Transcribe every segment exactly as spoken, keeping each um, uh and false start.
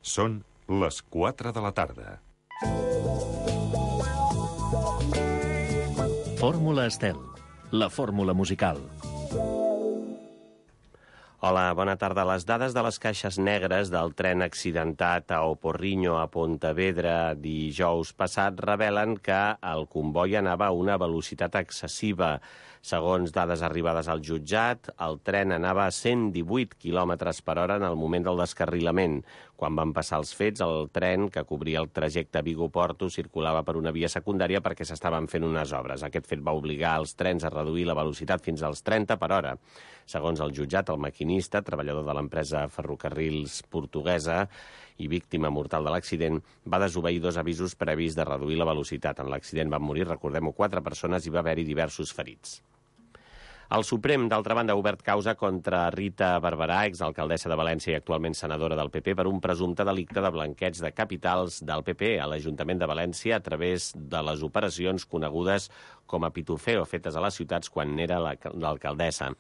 Són les quatre de la tarda. Fórmula Estel, la fórmula musical. Hola, bona tarda. Les dades de les caixes negres del tren accidentat a Oporrinho a Pontevedra dijous passat revelen que el comboi anava a una velocitat excessiva. Segons dades arribades al jutjat, el tren anava a cent divuit quilòmetres per hora en el moment del descarrilament. Quan van passar els fets, el tren que cobria el trajecte Vigo-Porto circulava per una via secundària perquè s'estaven fent unes obres. Aquest fet va obligar els trens a reduir la velocitat fins als trenta per hora. Segons el jutjat, el maquinista, treballador de l'empresa Ferrocarrils portuguesa i víctima mortal de l'accident, va desobeir dos avisos previs de reduir la velocitat. En l'accident van morir, recordem-ho, quatre persones i va haver-hi diversos ferits. El Suprem, d'altra banda, ha obert causa contra Rita Barberà, exalcaldessa de València i actualment senadora del P P, per un presumpte delicte de blanqueig de capitals del P P a l'Ajuntament de València a través de les operacions conegudes com a pitufeo fetes a les ciutats quan n'era l'alcaldessa.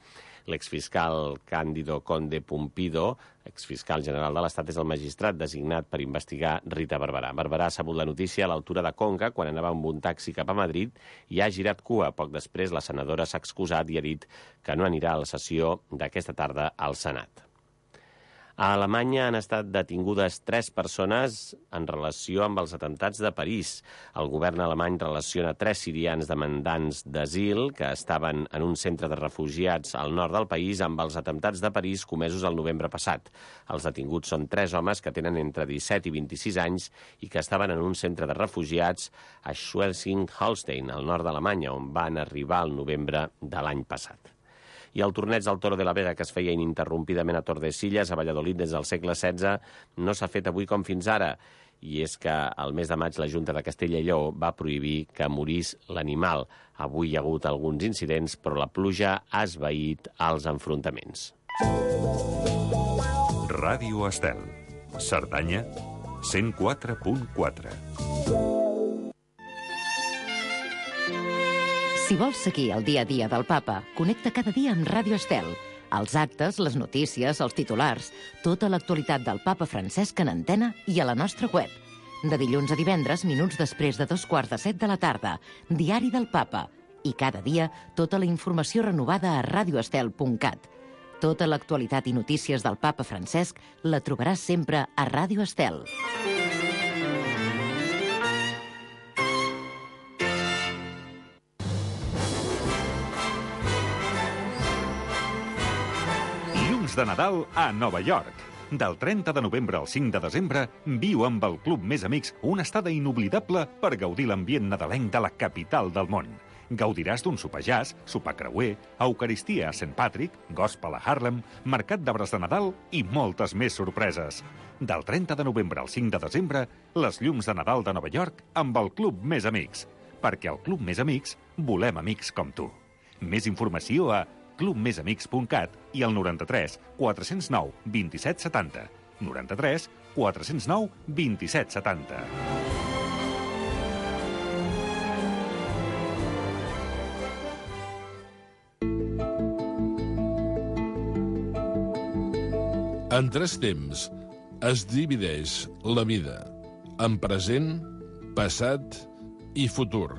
L'exfiscal Cándido Conde Pumpido, exfiscal general de l'Estat, és el magistrat designat per investigar Rita Barberà. Barberà ha sabut la notícia a l'altura de Conca quan anava amb un taxi cap a Madrid i ha girat cua. Poc després, la senadora s'ha excusat i ha dit que no anirà a la sessió d'aquesta tarda al Senat. A Alemanya han estat detingudes tres persones en relació amb els atemptats de París. El govern alemany relaciona tres sirians demandants d'asil que estaven en un centre de refugiats al nord del país amb els atemptats de París comesos el novembre passat. Els detinguts són tres homes que tenen entre disset i vint-i-sis anys i que estaven en un centre de refugiats a Schleswig-Holstein, al nord d'Alemanya, on van arribar al novembre de l'any passat. I el torneig del Toro de la Vega, que es feia ininterrompidament a Tordesillas, a Valladolid, des del segle setze, no s'ha fet avui com fins ara. I és que al mes de maig la Junta de Castella i Lleó va prohibir que morís l'animal. Avui hi ha hagut alguns incidents, però la pluja ha esvaït els enfrontaments. Ràdio Estel. Cerdanya, cent quatre punt quatre. Si vols seguir el dia a dia del Papa, connecta cada dia amb Ràdio Estel. Els actes, les notícies, els titulars, tota l'actualitat del Papa Francesc en antena i a la nostra web. De dilluns a divendres, minuts després de dos quarts de set de la tarda, Diari del Papa. I cada dia, tota la informació renovada a radioestel punt cat. Tota l'actualitat i notícies del Papa Francesc la trobaràs sempre a Ràdio Estel. De Nadal a Nova York. Del trenta de novembre al cinc de desembre, viu amb el Club Més Amics una estada inoblidable per gaudir l'ambient nadalenc de la capital del món. Gaudiràs d'un sopar jazz, sopar creuer, eucaristia a Saint Patrick, gospel a Harlem, mercat d'arbres de Nadal i moltes més sorpreses. Del trenta de novembre al cinc de desembre, les llums de Nadal de Nova York amb el Club Més Amics. Perquè al Club Més Amics volem amics com tu. Més informació a club més amics punt cat i al noranta-tres quatre zero nou vint-i-set setanta. noranta-tres quatre zero nou vint-i-set setanta. En tres temps es divideix la vida en present, passat i futur.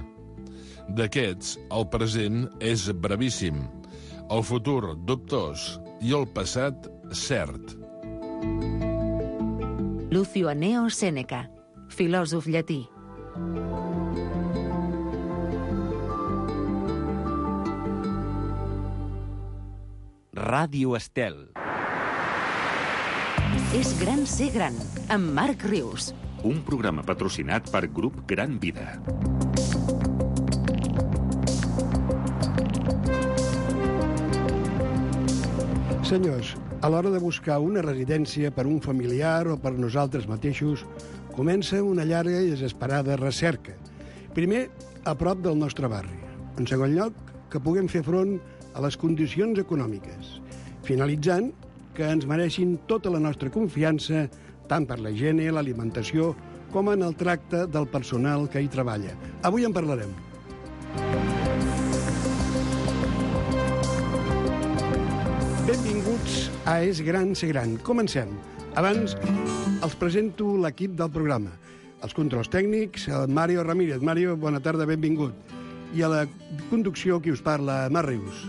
D'aquests, el present és brevíssim, el futur dubtós i el passat cert. Lucio Anneo Sèneca, filòsof llatí. Ràdio Estel. És gran ser gran, amb Marc Rius. Un programa patrocinat per Grup Gran Vida. Senyors, a l'hora de buscar una residència per un familiar o per nosaltres mateixos, comença una llarga i desesperada recerca. Primer, a prop del nostre barri. En segon lloc, que puguem fer front a les condicions econòmiques. Finalitzant, que ens mereixin tota la nostra confiança, tant per la higiene, l'alimentació, com en el tracte del personal que hi treballa. Avui en parlarem. Benvinguts a És gran ser gran. Comencem. Abans, els presento l'equip del programa. Els controls tècnics, el Mario Ramírez. Mario, bona tarda, benvingut. I a la conducció, qui us parla, Mar Rius.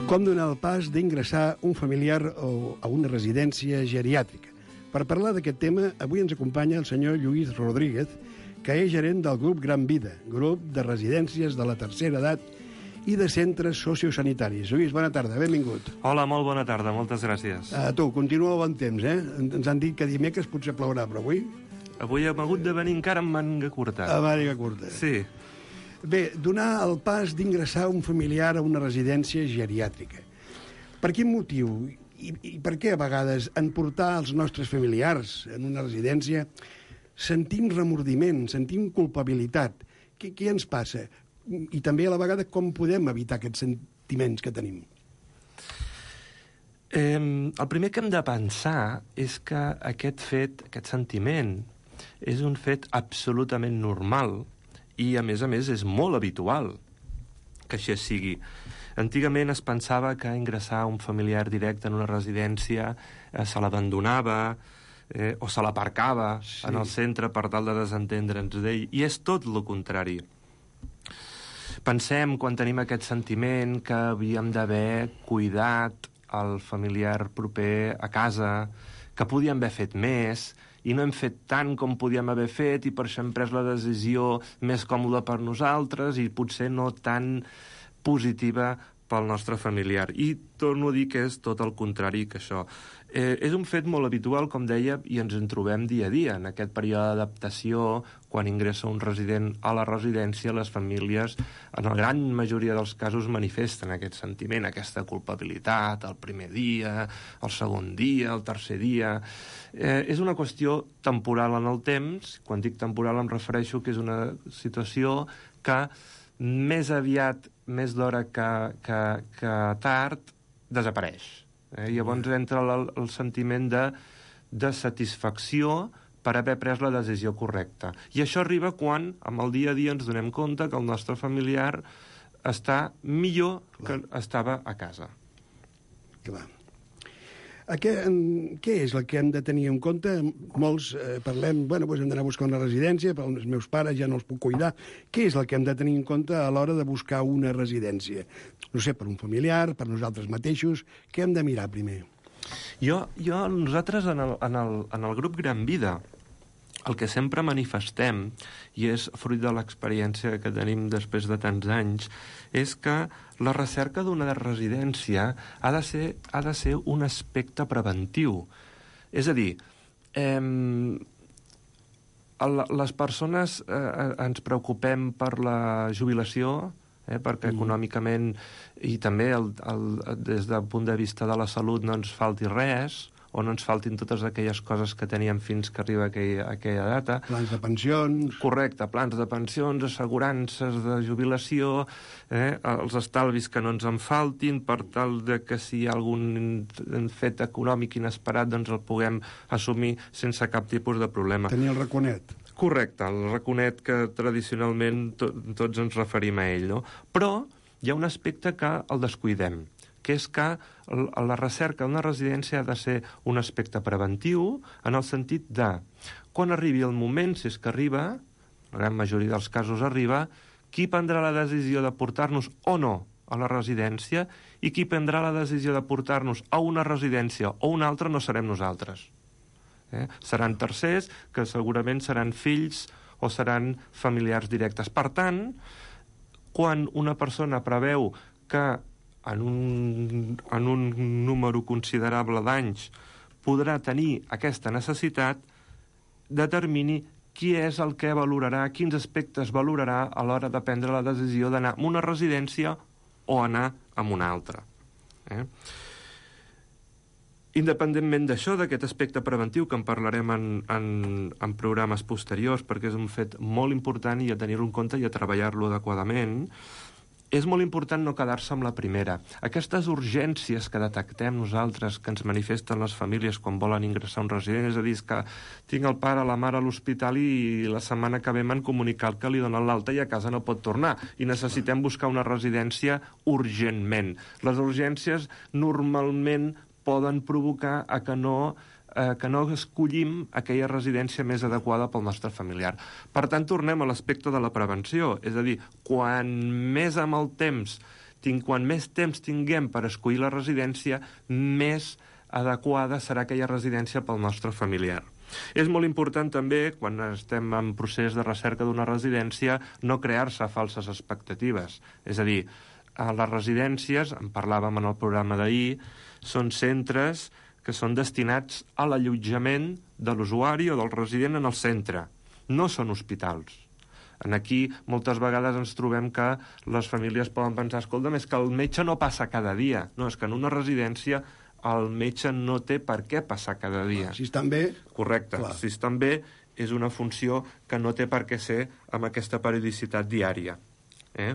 Com donar el pas d'ingressar un familiar a una residència geriàtrica? Per parlar d'aquest tema, avui ens acompanya el senyor Lluís Rodríguez, que és gerent del grup Gran Vida, grup de residències de la tercera edat i de centres sociosanitaris. Lluís, bona tarda, benvingut. Hola, molt bona tarda, moltes gràcies. A tu, continua el bon temps, eh? Ens han dit que dimecres potser plourà, però avui... Avui hem hagut de venir encara amb manga curta. A màniga curta. Sí. Bé, donar el pas d'ingressar un familiar a una residència geriàtrica. Per quin motiu i, i per què a vegades en portar els nostres familiars en una residència sentim remordiment, sentim culpabilitat? Què, què ens passa? I també a la vegada com podem evitar aquests sentiments que tenim? Eh, el primer que hem de pensar és que aquest fet, aquest sentiment, és un fet absolutament normal i, a més a més, és molt habitual que així sigui. Antigament es pensava que ingressar un familiar directe en una residència eh, se l'abandonava eh, o se l'aparcava sí. en el centre per tal de desentendre'ns d'ell, i és tot el contrari. Pensem, quan tenim aquest sentiment, que havíem d'haver cuidat el familiar proper a casa, que podíem haver fet més, i no hem fet tant com podíem haver fet, i per això hem pres la decisió més còmoda per nosaltres i potser no tan positiva pel nostre familiar. I torno a dir que és tot el contrari que això. Eh, és un fet molt habitual, com deia, i ens en trobem dia a dia. En aquest període d'adaptació, quan ingressa un resident a la residència, les famílies, en la gran majoria dels casos, manifesten aquest sentiment, aquesta culpabilitat, el primer dia, el segon dia, el tercer dia. Eh, és una qüestió temporal en el temps. Quan dic temporal em refereixo que és una situació que més aviat, més d'hora que, que, que tard, desapareix. Eh? Llavors entra el, el sentiment de, de satisfacció per haver pres la decisió correcta. I això arriba quan, amb el dia a dia, ens donem compte que el nostre familiar està millor Clar. que estava a casa. Clar. A què, en, què és el que hem de tenir en compte? Molts eh, parlem, bueno, doncs hem d'anar a buscar una residència, però els meus pares ja no els puc cuidar. Què és el que hem de tenir en compte a l'hora de buscar una residència? No sé, per un familiar, per nosaltres mateixos, què hem de mirar primer? Jo, jo nosaltres en el, en, el, en el grup Gran Vida, el que sempre manifestem, i és fruit de l'experiència que tenim després de tants anys, és que la recerca d'una residència ha de ser, ha de ser un aspecte preventiu. És a dir, eh, les persones eh, ens preocupem per la jubilació, eh, perquè mm. econòmicament i també el, el, des del punt de vista de la salut no ens falti res, o no ens faltin totes aquelles coses que teníem fins que arriba aquella, aquella data. Plans de pensions. Correcte, plans de pensions, assegurances de jubilació, eh, els estalvis que no ens en faltin, per tal de que si hi ha algun fet econòmic inesperat doncs el puguem assumir sense cap tipus de problema. Tenir el raconet. Correcte, el raconet que tradicionalment to tots ens referim a ell, no? Però hi ha un aspecte que el descuidem, que és que la recerca d'una residència ha de ser un aspecte preventiu en el sentit de, quan arribi el moment, si és que arriba, la gran majoria dels casos arriba, qui prendrà la decisió de portar-nos o no a la residència i qui prendrà la decisió de portar-nos a una residència o una altra no serem nosaltres. Eh? Seran tercers, que segurament seran fills o seran familiars directes. Per tant, quan una persona preveu que en un, en un número considerable d'anys podrà tenir aquesta necessitat, determini qui és el que valorarà, quins aspectes valorarà a l'hora de prendre la decisió d'anar a una residència o anar a una altra. Eh? Independentment d'això, d'aquest aspecte preventiu, que en parlarem en, en, en programes posteriors, perquè és un fet molt important i a tenir-lo en compte i a treballar-lo adequadament, és molt important no quedar-se amb la primera. Aquestes urgències que detectem nosaltres, que ens manifesten les famílies quan volen ingressar a un resident, és a dir, que tinc el pare, la mare a l'hospital i la setmana que ve m'han comunicat que li donen l'alta i a casa no pot tornar, i necessitem buscar una residència urgentment. Les urgències normalment poden provocar a que no Eh, que no escollim aquella residència més adequada pel nostre familiar. Per tant, tornem a l'aspecte de la prevenció, és a dir, quan més amb el temps, tinc, quan més temps tinguem per escollir la residència, més adequada serà aquella residència pel nostre familiar. És molt important també, quan estem en procés de recerca d'una residència, no crear-se falses expectatives. És a dir, a les residències, en parlàvem en el programa d'ahir, són centres que són destinats a l'allotjament de l'usuari o del resident en el centre. No són hospitals. En aquí moltes vegades ens trobem que les famílies poden pensar, escolta, és que el metge no passa cada dia. No, és que en una residència el metge no té per què passar cada dia. Clar, si estan bé... Correcte. Clar. Si estan bé és una funció que no té per què ser amb aquesta periodicitat diària. Eh?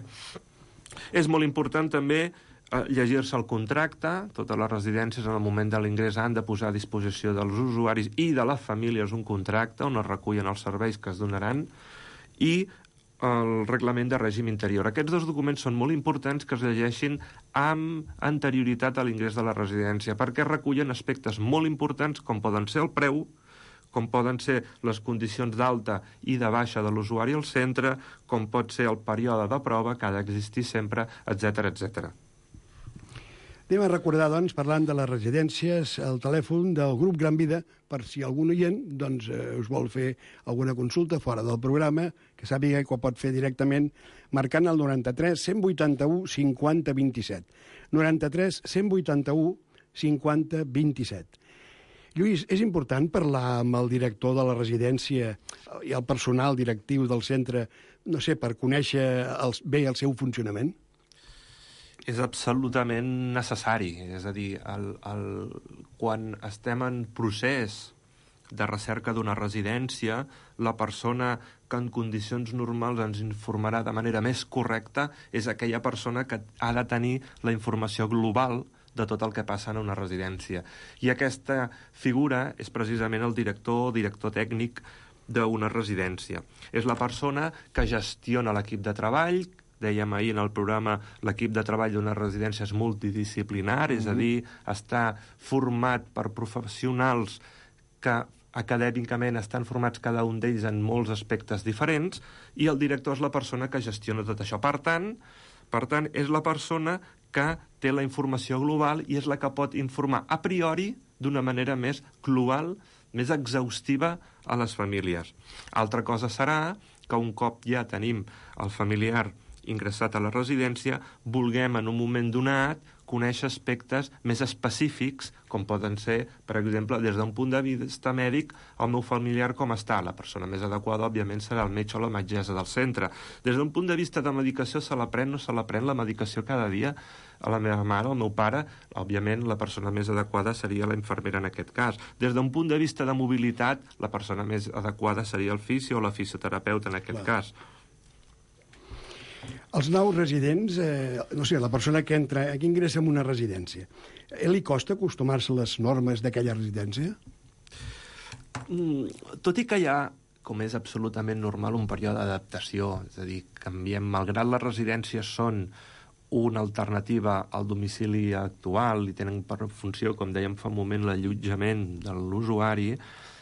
És molt important també llegir-se el contracte. Totes les residències en el moment de l'ingrés han de posar a disposició dels usuaris i de les famílies un contracte on es recullen els serveis que es donaran i el reglament de règim interior. Aquests dos documents són molt importants que es llegeixin amb anterioritat a l'ingrés de la residència perquè recullen aspectes molt importants com poden ser el preu, com poden ser les condicions d'alta i de baixa de l'usuari al centre, com pot ser el període de prova que ha d'existir sempre, etcètera, etcètera. Anem a recordar, doncs, parlant de les residències, el telèfon del grup Gran Vida, per si algun oient doncs, eh, us vol fer alguna consulta fora del programa, que sàpiga que ho pot fer directament marcant el noranta-tres cent vuitanta-u cinquanta vint-i-set. noranta-tres cent vuitanta-u cinquanta vint-i-set. Lluís, és important parlar amb el director de la residència i el personal directiu del centre, no sé, per conèixer el, bé el seu funcionament? És absolutament necessari. És a dir, el, el, quan estem en procés de recerca d'una residència, la persona que en condicions normals ens informarà de manera més correcta és aquella persona que ha de tenir la informació global de tot el que passa en una residència. I aquesta figura és precisament el director o director tècnic d'una residència. És la persona que gestiona l'equip de treball. Dèiem ahir en el programa, l'equip de treball d'una residència és multidisciplinar, mm-hmm. és a dir, està format per professionals que acadèmicament estan formats cada un d'ells en molts aspectes diferents, i el director és la persona que gestiona tot això. Per tant, per tant, és la persona que té la informació global i és la que pot informar a priori d'una manera més global, més exhaustiva a les famílies. Altra cosa serà que un cop ja tenim el familiar ingressat a la residència, vulguem en un moment donat conèixer aspectes més específics, com poden ser, per exemple, des d'un punt de vista mèdic, el meu familiar com està. La persona més adequada, òbviament, serà el metge o la metgessa del centre. Des d'un punt de vista de medicació, se la pren o no se la pren la medicació cada dia a la meva mare o al meu pare, òbviament la persona més adequada seria la infermera en aquest cas. Des d'un punt de vista de mobilitat, la persona més adequada seria el fisio o la fisioterapeuta en aquest Clar. cas. Els nous residents, eh, no sé, la persona que entra, que ingressa en una residència, eh, li costa acostumar-se a les normes d'aquella residència? Mm, tot i que hi ha, com és absolutament normal, un període d'adaptació, és a dir, canviem, malgrat les residències són una alternativa al domicili actual i tenen per funció, com dèiem fa un moment, l'allotjament de l'usuari,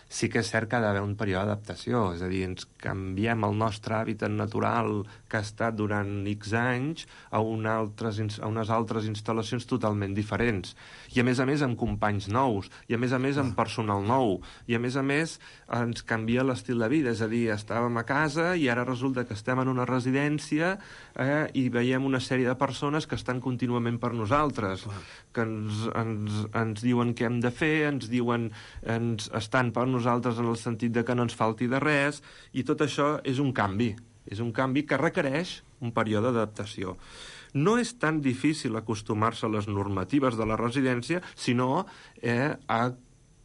sí que és cert que ha d'haver un període d'adaptació, és a dir, ens canviem el nostre hàbitat natural que ha estat durant X anys a, una altres, a unes altres instal·lacions totalment diferents. I a més a més amb companys nous, i a més a més amb personal nou, i a més a més ens canvia l'estil de vida, és a dir, estàvem a casa i ara resulta que estem en una residència eh, i veiem una sèrie de persones que estan contínuament per nosaltres, que ens, ens, ens diuen què hem de fer, ens diuen, ens estan per nosaltres en el sentit de que no ens falti de res, i tot això és un canvi. És un canvi que requereix un període d'adaptació. No és tan difícil acostumar-se a les normatives de la residència, sinó eh, a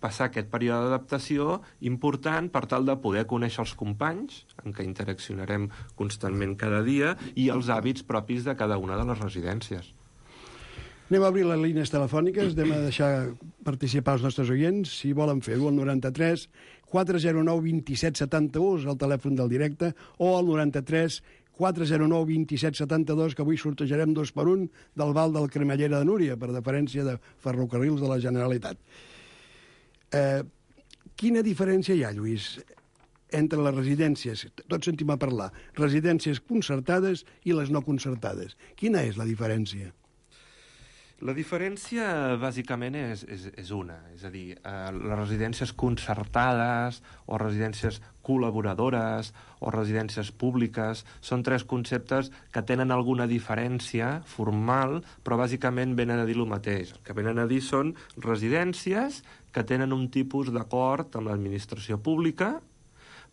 passar aquest període d'adaptació important per tal de poder conèixer els companys, en què interaccionarem constantment cada dia, i els hàbits propis de cada una de les residències. Anem a obrir les línies telefòniques, anem a deixar participar els nostres oients, si volen fer-ho, al noranta-tres quatre zero nou vint set setanta-u, és el telèfon del directe, o al noranta-tres quatre zero nou vint set setanta-dos, que avui sortejarem dos per un del Val del Cremallera de Núria, per deferència de Ferrocarrils de la Generalitat. Eh, quina diferència hi ha, Lluís, entre les residències, tots sentim a parlar, residències concertades i les no concertades? Quina és la diferència? La diferència, bàsicament, és, és, és una. És a dir, eh, les residències concertades o residències col·laboradores o residències públiques són tres conceptes que tenen alguna diferència formal, però bàsicament venen a dir el mateix. El que venen a dir són residències que tenen un tipus d'acord amb l'administració pública,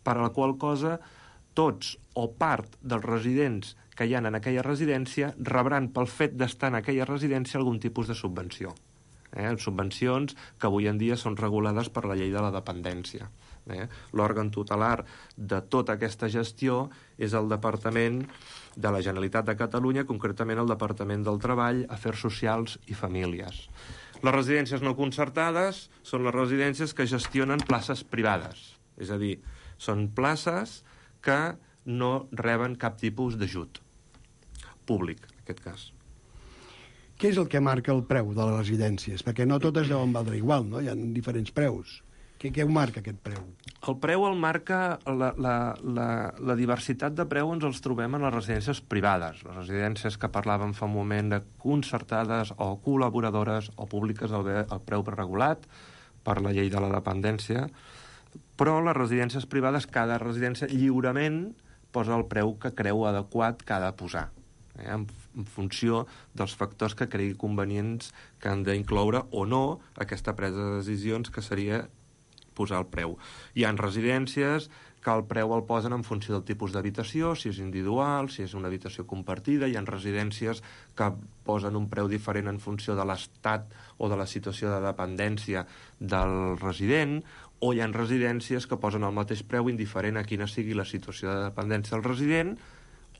per a la qual cosa tots o part dels residents que hi ha en aquella residència rebran pel fet d'estar en aquella residència algun tipus de subvenció. Eh? Subvencions que avui en dia són regulades per la llei de la dependència. Eh? L'òrgan tutelar de tota aquesta gestió és el Departament de la Generalitat de Catalunya, concretament el Departament del Treball, Afers Socials i Famílies. Les residències no concertades són les residències que gestionen places privades, és a dir, són places que no reben cap tipus d'ajut públic, en aquest cas. Què és el que marca el preu de les residències? Perquè no totes deuen valdre igual, no? Hi ha diferents preus. Què, què ho marca, aquest preu? El preu el marca... La, la, la, la diversitat de preu ens els trobem en les residències privades. Les residències que parlàvem fa un moment de concertades o col·laboradores o públiques, el, el preu regulat per la llei de la dependència, però les residències privades, cada residència lliurement posa el preu que creu adequat que ha de posar, eh, en, en funció dels factors que cregui convenients que han d'incloure o no aquesta presa de decisions, que seria posar el preu. Hi ha residències que el preu el posen en funció del tipus d'habitació, si és individual, si és una habitació compartida. Hi ha residències que posen un preu diferent en funció de l'estat o de la situació de dependència del resident, o hi ha residències que posen el mateix preu indiferent a quina sigui la situació de dependència del resident,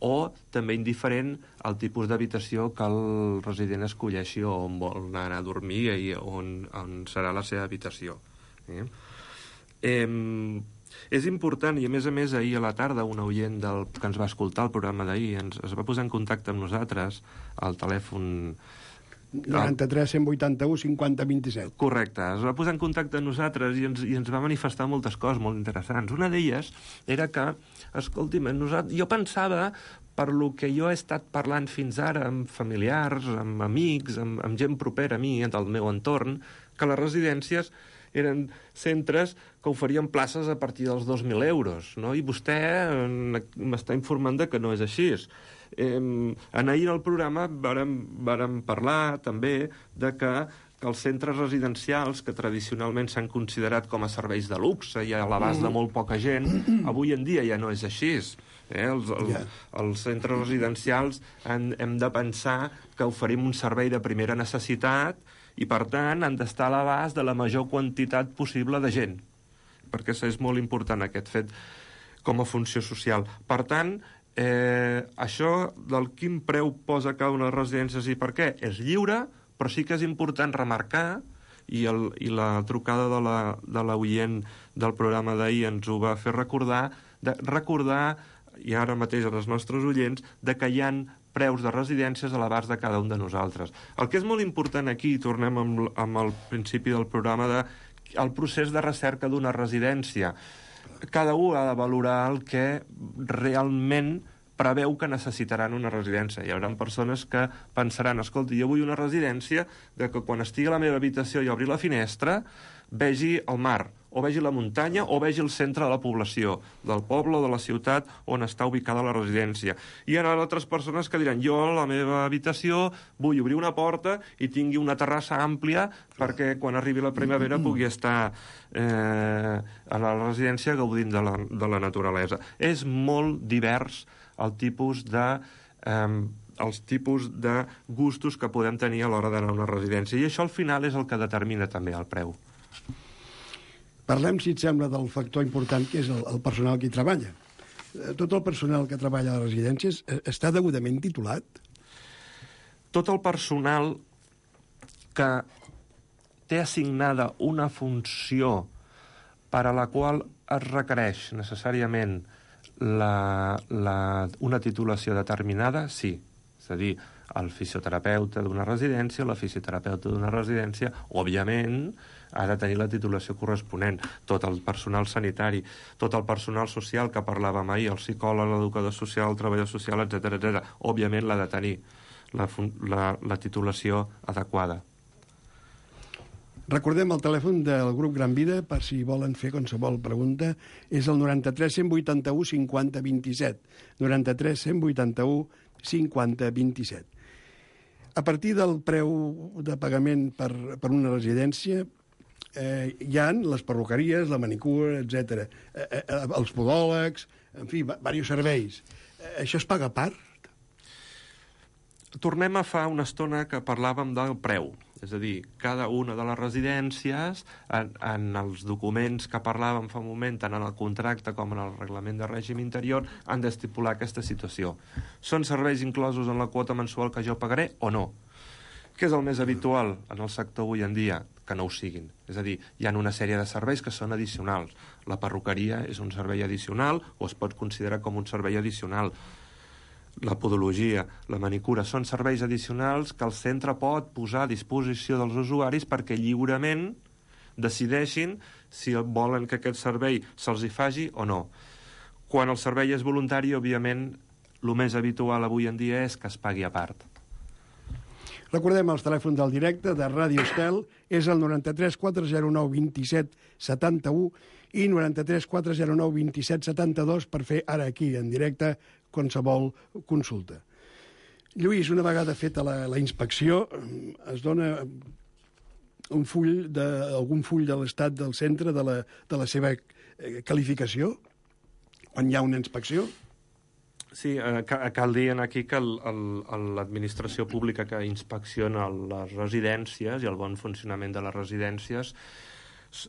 o també indiferent al tipus d'habitació que el resident escolleixi on vol anar a dormir i on, on serà la seva habitació. Eh? Eh, és important, i a més a més ahir a la tarda un oient del, que ens va escoltar el programa d'ahir ens, es va posar en contacte amb nosaltres al telèfon noranta-tres cent vuitanta-u cinquanta vint-i-set. Correcte, es va posar en contacte amb nosaltres i ens, i ens va manifestar moltes coses molt interessants. Una d'elles era que, escolti'm, nosaltres, jo pensava, per lo que jo he estat parlant fins ara amb familiars, amb amics, amb, amb gent propera a mi, del meu entorn, que les residències eren centres que oferien places a partir dels dos mil euros, no? I vostè m'està informant de que no és així. Eh, en ahir al programa vàrem, vàrem parlar també de que, que els centres residencials, que tradicionalment s'han considerat com a serveis de luxe i a l'abast de molt poca gent, avui en dia ja no és així. Eh, els, els, yeah. els centres residencials han, hem de pensar que oferim un servei de primera necessitat i, per tant, han d'estar a l'abast de la major quantitat possible de gent, perquè és molt important aquest fet com a funció social. Per tant, eh, això del quin preu posa cada una de les residències i per què és lliure, però sí que és important remarcar, i, el, i la trucada de la, de l'oient del programa d'ahir ens ho va fer recordar, de recordar, i ara mateix als nostres oients, de que hi ha preus de residències a l'abast de cada un de nosaltres. El que és molt important aquí, i tornem amb, amb el principi del programa, de, el procés de recerca d'una residència. Cada un ha de valorar el que realment preveu que necessitaran una residència. Hi haurà persones que pensaran, escolta, jo vull una residència de que quan estigui a la meva habitació i obri la finestra vegi el mar, o vegi la muntanya, o vegi el centre de la població, del poble o de la ciutat on està ubicada la residència. I hi ha altres persones que diran, jo a la meva habitació vull obrir una porta i tingui una terrassa àmplia perquè quan arribi la primavera pugui estar eh, a la residència gaudint de la, de la naturalesa. És molt divers el tipus de... Eh, els tipus de gustos que podem tenir a l'hora d'anar a una residència. I això al final és el que determina també el preu. Parlem, si et sembla, del factor important que és el, el personal que hi treballa. Tot el personal que treballa a les residències està degudament titulat? Tot el personal que té assignada una funció per a la qual es requereix necessàriament la, la, una titulació determinada, sí. És a dir, el fisioterapeuta d'una residència, la fisioterapeuta d'una residència, òbviament, ha de tenir la titulació corresponent. Tot el personal sanitari, tot el personal social que parlàvem ahir, el psicòleg, l'educador social, el treballador social, etcètera, etcètera, òbviament l'ha de tenir la, la, la titulació adequada. Recordem el telèfon del grup Gran Vida per si volen fer qualsevol pregunta. És el noranta-tres cent vuitanta-u cinquanta vint-i-set. noranta-tres cent vuitanta-u cinquanta vint-i-set. A partir del preu de pagament per, per una residència eh, hi ha les perruqueries, la manicura, etcètera, eh, eh, els podòlegs, en fi, diversos serveis. Eh, això es paga a part? Tornem a fa una estona que parlàvem del preu. És a dir, cada una de les residències, en, en els documents que parlàvem fa un moment, tant en el contracte com en el reglament de règim interior, han d'estipular aquesta situació. Són serveis inclosos en la quota mensual que jo pagaré o no? Què és el més habitual en el sector avui en dia? Que no ho siguin. És a dir, hi ha una sèrie de serveis que són addicionals. La perruqueria és un servei addicional o es pot considerar com un servei addicional. La podologia, la manicura, són serveis addicionals que el centre pot posar a disposició dels usuaris perquè lliurement decideixin si volen que aquest servei se'ls hi faci o no. Quan el servei és voluntari, òbviament, el més habitual avui en dia és que es pagui a part. Recordem els telèfons del directe de Ràdio Estel, és el noranta-tres quatre zero nou vint-i-set setanta-u i noranta-tres quatre zero nou vint-i-set setanta-dos per fer ara aquí, en directe, qualsevol consulta. Lluís, una vegada feta la, la inspecció, es dona un full de, algun full de l'estat del centre de la, de la seva qualificació quan hi ha una inspecció? Sí, eh, cal dir aquí que l'administració pública que inspecciona les residències i el bon funcionament de les residències,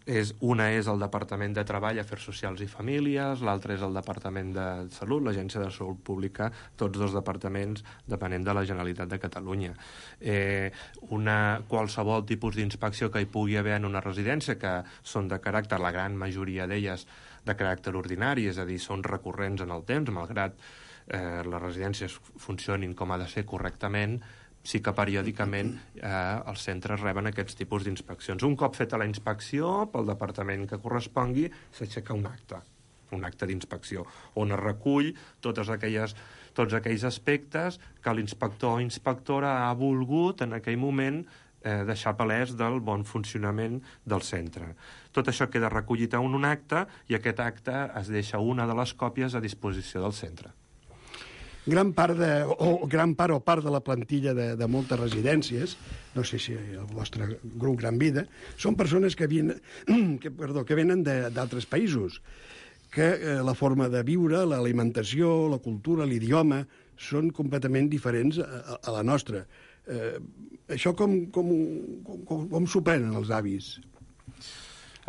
és, una és el Departament de Treball, Afers Socials i Famílies, l'altra és el Departament de Salut, l'Agència de Salut Pública, tots dos departaments depenent de la Generalitat de Catalunya. Eh, una, qualsevol tipus d'inspecció que hi pugui haver en una residència, que són de caràcter, la gran majoria d'elles, de caràcter ordinari, és a dir, són recurrents en el temps, malgrat eh, les residències funcionin com ha de ser correctament, sí que periòdicament eh, els centres reben aquests tipus d'inspeccions. Un cop feta la inspecció, pel departament que correspongui, s'aixeca un acte, un acte d'inspecció, on es recull totes aquelles, tots aquells aspectes que l'inspector o inspectora ha volgut en aquell moment eh, deixar palès del bon funcionament del centre. Tot això queda recollit en un acte i aquest acte es deixa una de les còpies a disposició del centre. Gran part, de, o, gran part o part de la plantilla de, de moltes residències, no sé si el vostre grup Gran Vida, són persones que, vien, que, perdó, que venen d'altres països, que eh, la forma de viure, l'alimentació, la cultura, l'idioma, són completament diferents a, a la nostra. Eh, això com, com, com, com, com s'ho prenen els avis?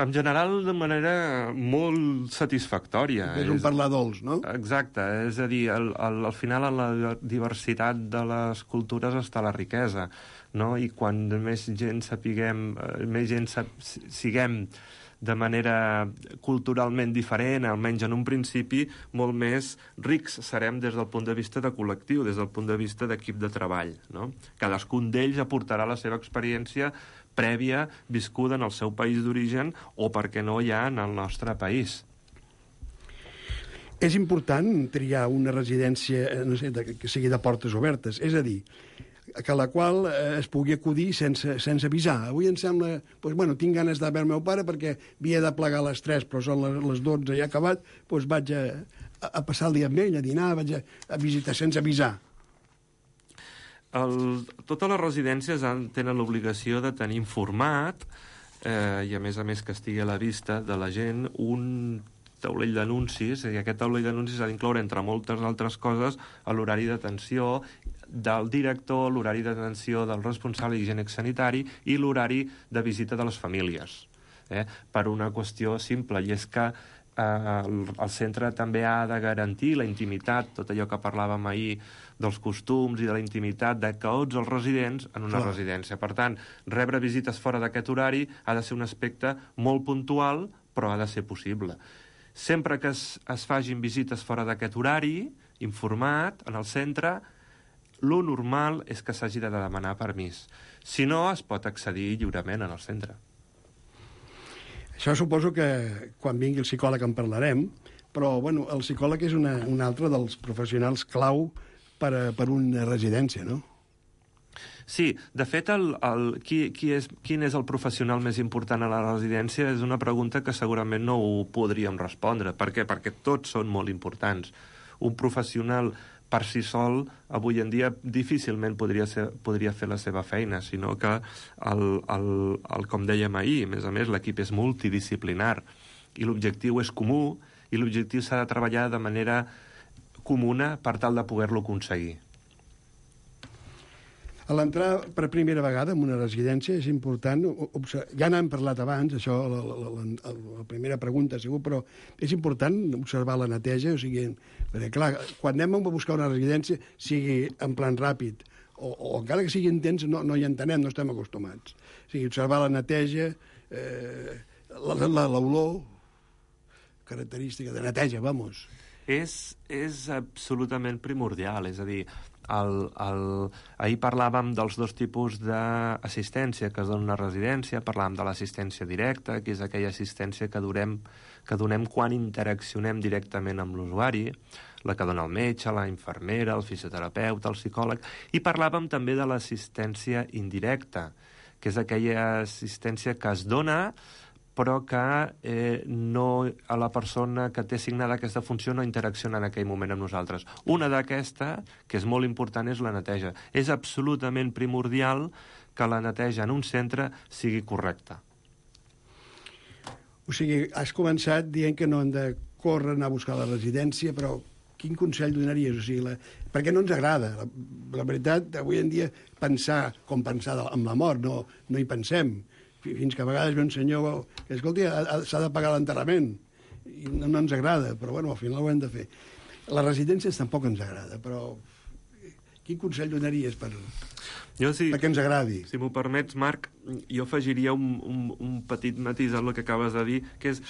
En general, de manera molt satisfactòria. És un parlar dolç, no? Exacte, és a dir, al, al, al final en la diversitat de les cultures està la riquesa, no? I quan més gent sapiguem, més gent sap, siguem de manera culturalment diferent, almenys en un principi, molt més rics serem des del punt de vista de col·lectiu, des del punt de vista d'equip de treball, no? Cadascun d'ells aportarà la seva experiència prèvia viscuda en el seu país d'origen o, per què no, ja en el nostre país. És important triar una residència, no sé, que sigui de portes obertes, és a dir, que a la qual es pugui acudir sense, sense avisar. Avui em sembla, doncs, bueno, tinc ganes de veure el meu pare perquè havia de plegar a les tres, però són les dotze i ha acabat, doncs vaig a, a passar el dia amb ell, a dinar, vaig a, a visitar sense avisar. El, totes les residències han, tenen l'obligació de tenir informat eh, i a més a més que estigui a la vista de la gent un taulell d'anuncis, i aquest taulell d'anuncis ha d'incloure, entre moltes altres coses, l'horari d'atenció del director, l'horari d'atenció del responsable higiènic sanitari i l'horari de visita de les famílies. eh? Per una qüestió simple, i és que eh, el, el centre també ha de garantir la intimitat, tot allò que parlàvem ahir dels costums i de la intimitat de tots els residents en una Clar. residència. Per tant, rebre visites fora d'aquest horari ha de ser un aspecte molt puntual, però ha de ser possible. Sempre que es, es fagin visites fora d'aquest horari, informat, en el centre, lo normal és que s'hagi de demanar permís. Si no, es pot accedir lliurement en el centre. Això suposo que quan vingui el psicòleg en parlarem, però bueno, el psicòleg és una, un altre dels professionals clau per, a, per una residència, no? Sí, de fet, el, el, qui, qui és, quin és el professional més important a la residència és una pregunta que segurament no ho podríem respondre. Per què? Perquè tots són molt importants. Un professional per si sol, avui en dia difícilment podria, ser, podria fer la seva feina, sinó que, el, el, el, com dèiem ahir, a més a més, l'equip és multidisciplinar i l'objectiu és comú i l'objectiu s'ha de treballar de manera comuna per tal de poder-lo aconseguir. A l'entrar per primera vegada en una residència és important, ja n'hem parlat abans, això, la, la, la, la primera pregunta ha sigut, però és important observar la neteja, o sigui, perquè clar, quan anem a buscar una residència, sigui en plan ràpid, o, o encara que sigui intens, no, no hi entenem, no estem acostumats. O sigui, observar la neteja, eh, l'olor, característica de neteja, vamos. És, és absolutament primordial, és a dir, el, el... ahir parlàvem dels dos tipus d'assistència que es dona a una residència, parlàvem de l'assistència directa, que és aquella assistència que, durem, que donem quan interaccionem directament amb l'usuari, la que dona el metge, la infermera, el fisioterapeuta, el psicòleg, i parlàvem també de l'assistència indirecta, que és aquella assistència que es dona però que eh, no, a la persona que té assignada aquesta funció no interacciona en aquell moment amb nosaltres. Una d'aquesta, que és molt important, és la neteja. És absolutament primordial que la neteja en un centre sigui correcta. O sigui, has començat dient que no hem de córrer, anar a buscar la residència, però quin consell donaries? O sigui, la... perquè no ens agrada. La, la veritat, avui en dia, pensar com pensar amb la mort, no, no hi pensem. Fins que a vegades ve un senyor que, escolti, s'ha de pagar l'enterrament. I no, no ens agrada, però bueno, al final ho hem de fer. Les residències tampoc ens agrada, però quin consell donaries per, jo, si, perquè ens agradi? Si m'ho permets, Marc, jo afegiria un, un, un petit matís al que acabes de dir, que és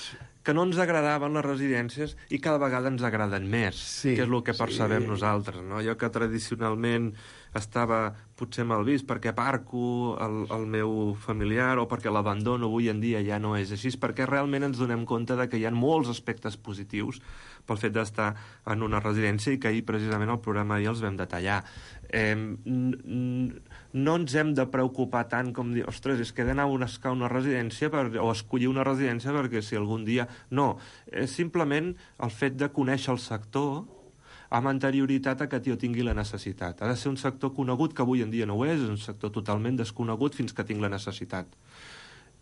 que no ens agradaven les residències i cada vegada ens agraden més, sí, que és el que percebem sí. nosaltres, no? Jo que tradicionalment estava potser mal vist perquè aparco el, el meu familiar o perquè l'abandono, avui en dia ja no és així, perquè realment ens donem compte de que hi ha molts aspectes positius pel fet d'estar en una residència i que ahir precisament el programa ahir els vam detallar. Eh, no ens hem de preocupar tant com dir, ostres, és que he d'anar a buscar una residència per, o escollir una residència perquè si algun dia... No, és simplement el fet de conèixer el sector amb anterioritat a que jo tingui la necessitat. Ha de ser un sector conegut, que avui en dia no ho és, és un sector totalment desconegut fins que tinc la necessitat.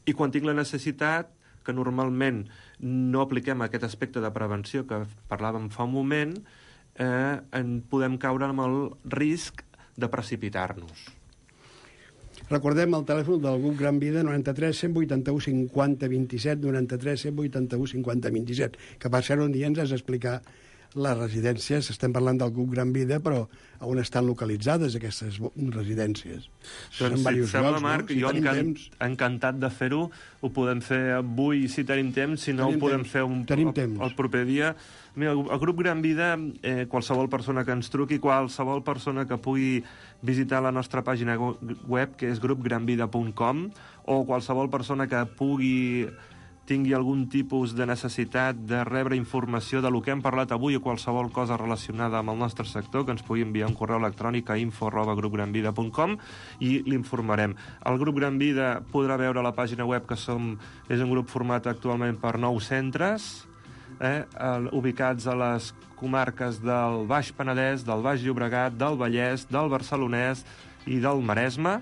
I quan tinc la necessitat, que normalment no apliquem aquest aspecte de prevenció que parlàvem fa un moment, eh, en podem caure amb el risc de precipitar-nos. Recordem el telèfon del grup Gran Vida, noranta-tres cent vuitanta-u cinquanta vint-i-set, noranta-tres cent vuitanta-u cinquanta vint-i-set, que per ser un dia ens has d'explicar les residències. Estem parlant del grup Gran Vida, però on estan localitzades aquestes residències? Doncs, si et sembla, Marc, no? Si jo encant, encantat de fer-ho, ho podem fer avui si tenim temps, si no tenim ho podem temps. fer un, el, el proper dia. Mira, el grup Gran Vida, eh, qualsevol persona que ens truqui, qualsevol persona que pugui visitar la nostra pàgina web, que és grup gran vida punt com, o qualsevol persona que pugui tingui algun tipus de necessitat de rebre informació de lo que hem parlat avui o qualsevol cosa relacionada amb el nostre sector, que ens pugui enviar un correu electrònic a info arroba grup gran vida punt com i l'informarem. El grup Gran Vida podrà veure a la pàgina web que som, és un grup format actualment per nou centres, eh, ubicats a les comarques del Baix Penedès, del Baix Llobregat, del Vallès, del Barcelonès i del Maresme,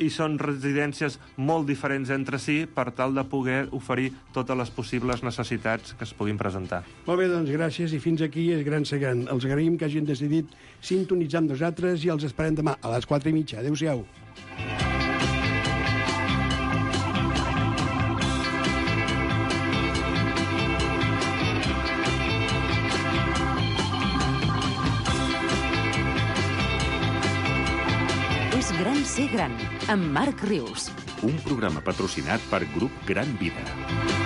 i són residències molt diferents entre si per tal de poder oferir totes les possibles necessitats que es puguin presentar. Molt bé, doncs gràcies, i fins aquí és Gran Segant. Els agraïm que hagin decidit sintonitzar amb nosaltres i els esperem demà a les quatre i mitja. Adéu-siau. Ser gran, amb Marc Rius. Un programa patrocinat per Grup Gran Vida.